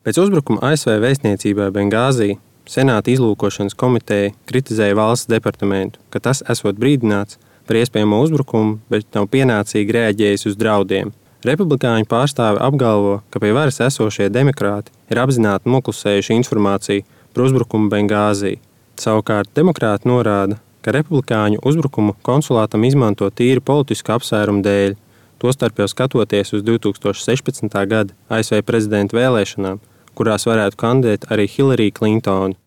Pēc uzbrukuma ASV vēstniecībai Bengāzī Senāta izlūkošanas komiteja kritizēja valsts departamentu, ka tas esot brīdināts par iespējamo uzbrukumu, bet nav pienācīgi reaģējis uz draudiem. Republikāņu pārstāvi apgalvo, ka pie varas esošie demokrāti ir apzināti noklusējuši informāciju par uzbrukumu Bengāzī. Savukārt demokrāti norāda, ka republikāņu uzbrukumu konsulātam izmanto tīri politisku apsvērumu dēļ, tostarp jau skatoties uz 2016. gada ASV prezidenta vēlēšanām, kurās varētu kandidēt arī Hillary Clintoni.